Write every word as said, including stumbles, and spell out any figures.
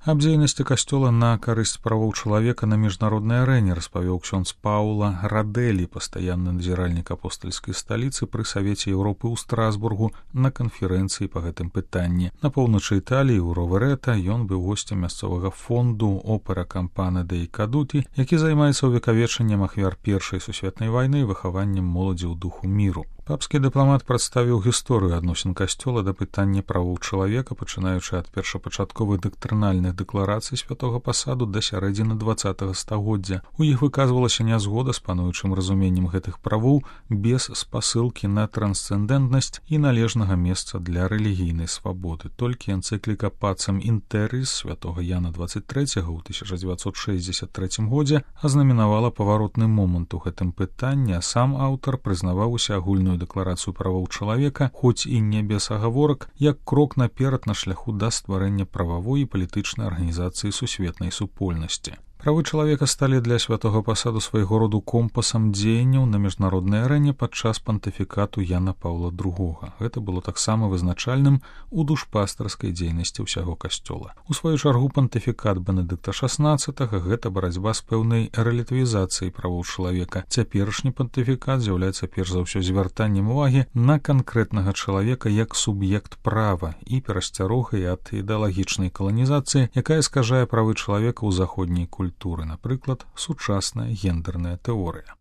Аб дзейнасці касцёла на карысць правоў чалавека на міжнароднай арэне распавёў ксёндз Паула Радэлі, пастаянны назіральнік апостальскай сталіцы пры Савеце Еўропы ў Страсбургу на канферэнцыі па гэтым пытанні. На поўначы Італіі ў Роверета ён быў госцем мясцовага фонду Опера Кампана дей Кадуті, які займаецца ўвекавечаннем ахвяр Першай сусветнай вайны і выхаваннем моладзі ў духу міру. Папскі дыпламат прадставіў гісторыю адносін касцёла да пытання правоў чалавека, пачынаючы ад першапачатковых дактрынальных дэкларацый святога пасаду да сярэдзіны дваццатага стагоддзя. У іх выказвалася нязгода з пануючым разуменнем гэтых правоў без спасылкі на трансцэндэнтнасць і належнага месца для рэлігійнай свабоды. Толькі энцыкліка Пацем Інтэріс святога Яна дваццаць трэцяга ў тысяча дзевяцьсот шэсцьдзесят трэцім годзе азнаменавала паваротны момант у гэтым пытанні, а сам аўтар прызнаваў усеагульную дэкларацыю правоў чалавека, хоць і не без агаворак, як крок наперад на шляху да стварэння прававой і палітычнай арганізацыі сусветнай супольнасці. Правы чалавека сталі для святога пасаду свайго роду компасам дзеянняў на міжнароднай арэне падчас пантыфікату Яна Паўла другога. Гэта было таксама вызначальным у душпастарскай дзейнасці ўсяго касцёла. У сваю чаргу пантыфікат Бенедыкта шаснаццатага гэта барацьба з пэўнай рэлятывізацыяй правоў чалавека. Цяперашні пантыфікат з'яўляецца перш за ўсё звяртаннем увагі на канкрэтнага чалавека як суб'ект права і перасцярогай ад ідэалагічнай каланізацыі, якая скажае правы чалавека ў заходняй культуры. Напрыклад, сучасная гендерная тэорыя.